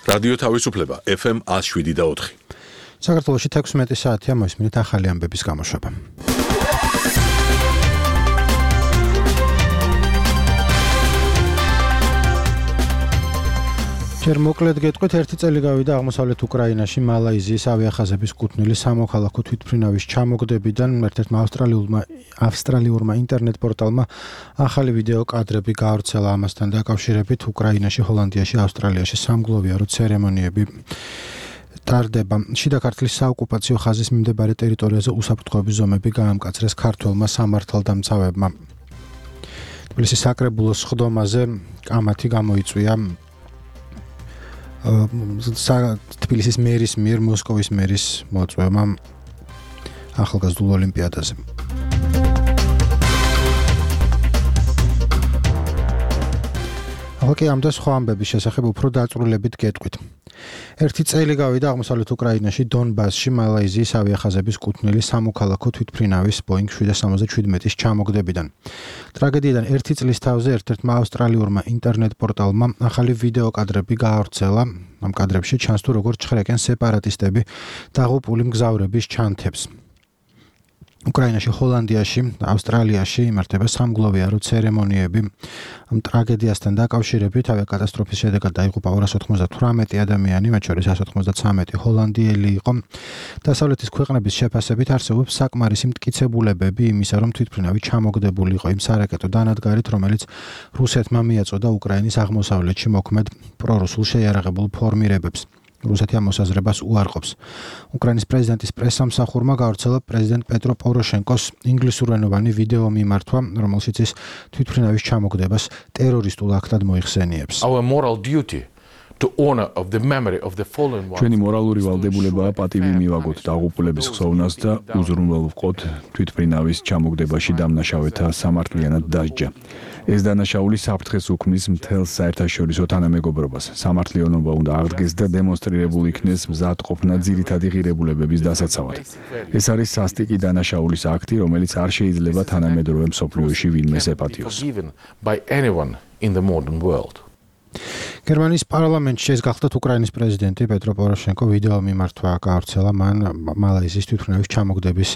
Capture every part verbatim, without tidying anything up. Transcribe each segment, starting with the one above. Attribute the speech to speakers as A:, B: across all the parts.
A: რადიო თავისუფლება ეფ ემ one oh seven და four.
B: საქართველოში თექვსმეტი საათია მოისმინეთ ახალი ამბების გამოშვება. ჯერ მოკლედ გეტყვით, ერთი წელი გავიდა აღმოსავლეთ უკრაინაში მალაიზიის ავიახაზების კუთვნილი სამოქალაქო თვითმფრინავის ჩამოგდებიდან ერთ-ერთმა ავსტრალიულმა ავსტრალიურმა ინტერნეტ პორტალმა ახალი ვიდეო კადრები გაავრცელა ამასთან დაკავშირებით. უკრაინაში, ჰოლანდიაში, ავსტრალიაში სამგლოვიარო ცერემონიები ტარდება. შიდა ქართლის საოკუპაციო ხაზის მიმდებარე ტერიტორიაზე უსაფრთხოების ზომები გაამკაცრეს ქართველმა სამართალდამცავებმა. თბილისის საკრებულოს სხდომაზე კამათი გამოიწვია თბილისის მერის მიერ მოსკოვის მერის მოწვევმა ახალგაზრდულ ოლიმპიადაზე. ახლა კი ამ და სხვა ამბების შესახებ უფრო დაწვრილებით გეტყვით. ერთი წელი გავიდა აღმოსავლეთ უკრაინაში დონბასში მალაიზიის ავიახაზების კუთვნილი სამოქალაქო თვითმფრინავის ბოინგ seven seventy-seven-ის ჩამოგდებიდან. ტრაგედიიდან ერთი წლის თავზე ერთ-ერთმა ავსტრალიურმა ინტერნეტ პორტალმა ახალი ვიდეო კადრები გაავრცელა. ამ კადრებში ჩანს თუ როგორ ჩხრეკენ სეპარატისტები დაღუპული მგზავრების ჩანთებს. უკრაინაში, ჰოლანდიაში, ავსტრალიაში იმართება სამგლოვიარო ცერემონიები. ამ ტრაგედიასთან დაკავშირებით ავიაკატასტროფის შედეგად დაიღუპა two hundred ninety-eight ადამიანი, მათ შორის one hundred thirty-three ჰოლანდიელი იყო. დასავლეთის ქვეყნების შეფასებით არსებობს საკმარისი მტკიცებულებები იმისა, რომ თვითმფრინავი ჩამოგდებული იყო იმ სარაკეტო დანადგარით, რომელიც რუსეთმა მიაწოდა უკრაინის აღმოსავლეთში მოქმედ პრორუსულ შეიარაღებულ ფორმირებებს. რუსეთი ამ მოსაზრებას უარყოფს. უკრაინის პრეზიდენტის პრესსამსახურმა გავრცელა პრეზიდენტ პეტრო პოროშენკოს ინგლისურენოვანი ვიდეო მიმართვა, რომელშიც ის თვითმფრინავის ჩამოგდებას ტერორისტულ აქტად მოიხსენიებს.
C: Our moral duty to honor of the memory of the fallen ones.
D: ჩვენი მორალური ვალდებულებაა პატივი მივაგოთ დაღუპულების ხსოვნას და უზრუნველყოთ თვითმფრინავის ჩამოგდებაში დამნაშავეთა სამართლიანად დასჯა. ეს დანაშაული საფრთხეს უქმნის მთელს საერთაშორისო თანამეგობრობას. სამართლიანობა უნდა აღდგეს და დემონსტრირებული იქნეს მზადყოფნა ძირითადი ღირებულებების დასაცავად. ეს არის სასტიკი დანაშაულის აქტი, რომელიც არ შეიძლება თანამედროვე მსოფლიოში ვინმეს ეპატიოს.
B: გერმანიის პარლამენტში ეს გახლდათ უკრაინის პრეზიდენტი პეტრო პოროშენკო ვიდეო მიმართვა გაავრცელა მან მალაიზიის თვითმფრინავის ჩამოგდების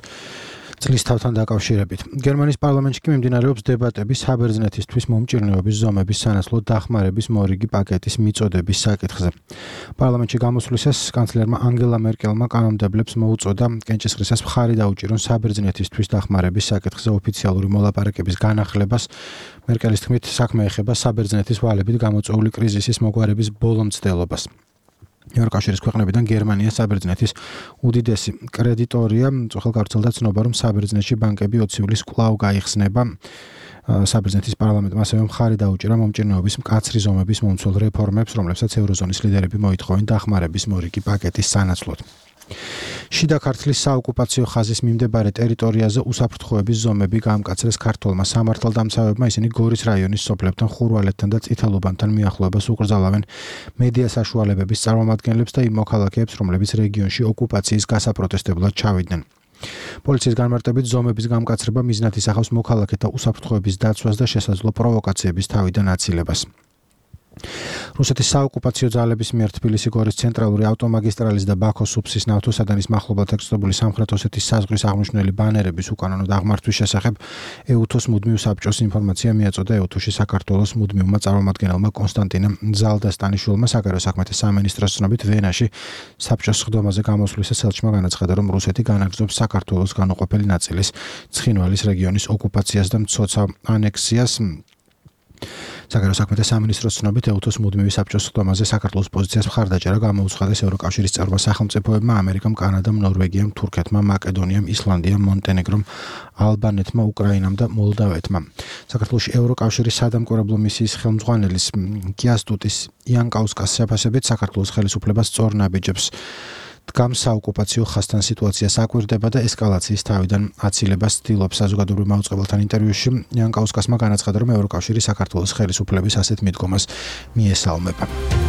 B: წლის თავთან დაკავშირებით. გერმანიის პარლამენტში კი მიმდინარეობს დებატები საბერძნეთისთვის მომჭირნეობის ზომების სანაცვლოდ დახმარების მორიგი პაკეტის მიწოდების საკითხზე. პარლამენტში გამოსვლისას კანცლერმა ანგელა მერკელმა კანონმდებლებს მოუწოდა კენჭისყრისას მხარი დაუჭირონ საბერძნეთისთვის დახმარების საკითხზე ოფიციალური მოლაპარაკების განახლებას. მერკელის თქმით, საქმე ეხება საბერძნეთის ვალებით გამოწვეული კრიზისის მოგვარების ბოლო მცდელობას. ევროკავშირის ქვეყნებიდან გერმანია საბერძნეთის უდიდესი კრედიტორია. წუხელ გავრცელდა ცნობა, რომ საბერძნეთში ბანკები ოცი ივლისს კვლავ გაიხსნება. საბერძნეთის პარლამენტმა ასევე მხარი დაუჭირა მომჭირნეობის მკაცრი ზომების მომცველ რეფორმებს, რომლებსაც ევროზონის ლიდერები მოითხოვენ დახმარების მორიგი პაკეტის სანაცვლოდ. შიდა ქართლის საოკუპაციო ხაზის მიმდებარე ტერიტორიაზე უსაფრთხოების ზომები გაამკაცრეს ქართველმა სამართალდამცავებმა. ისინი გორის რაიონის სოფლებთან, ხურვალეთთან და წითელუბანთან მიახლოებას უკრძალავენ მედია საშუალებების წარმომადგენლებს და იმ მოქალაქეებს, რომლებიც რეგიონში ოკუპაციის გასაპროტესტებლად ჩავიდნენ. პოლიციის განმარტებით ზომების გამკაცრება მიზნად ისახავს მოქალაქეთა უსაფრთხოების დაცვას და შესაძლო პროვოკაციების თავიდან აცილებას. რუსეთის საოკუპაციო ძალების მიერ თბილისი-გორის ცენტრალური ავტომაგისტრალის და ბაქო-სუფსის ნავთოსადენის მახლობლად ექსპლოდებული სამხრეთ ოსეთის საზღვრის აღმნიშვნელი ბანერების უკანონო დაღმართვის შესახებ ეუთოს მუდმივ საბჭოს ინფორმაცია მიაწოდა ეუთოში საქართველოს მუდმივმა წარმომადგენელმა კონსტანტინე ზალდასტანიშვილმა. საგარეო საქმეთა სამინისტროს ცნობით ვენაში საბჭოს სხდომაზე გამოსვლისას ელჩმა განაცხადა, რომ რუსეთი განაგრძობს საქართველოს განუყოფელი ნაწილის ცხინვალის რეგიონის ოკუპაციას და მცოცავ ანექსიას. საგარეო საქმეთა სამინისტროს ცნობით ეუთოს მუდმივი საბჭოს სხდომაზე საქართველოს პოზიციას მხარდაჭერა გამოუცხადეს ევროკავშირის წევრმა სახელმწიფოებმა, ამერიკამ, კანადამ, ნორვეგიამ, თურქეთმა, მაკედონიამ, ისლანდიამ, მონტენეგრომ, ალბანეთმა, უკრაინამ და მოლდავეთმა. საქართველოში ევროკავშირის სადამკვირვებლო მისიის ხელმძღვანელის კიასტუტის იანკაუსკას შეფასებით საქართველოს ხელისუფლებას სწორ ნაბიჯებს დგამს საოკუპაციო ხაზთან სიტუაციას აკვირდება და ესკალაციის თავიდან აცილებას ცდილობს. საზოგადოებრივ მაუწყებელთან ინტერვიუში იანკაუსკასმა განაცხადა, რომ ევროკავშირი საქართველოს ხელისუფლების ასეთ მიდგომას მიესალმება.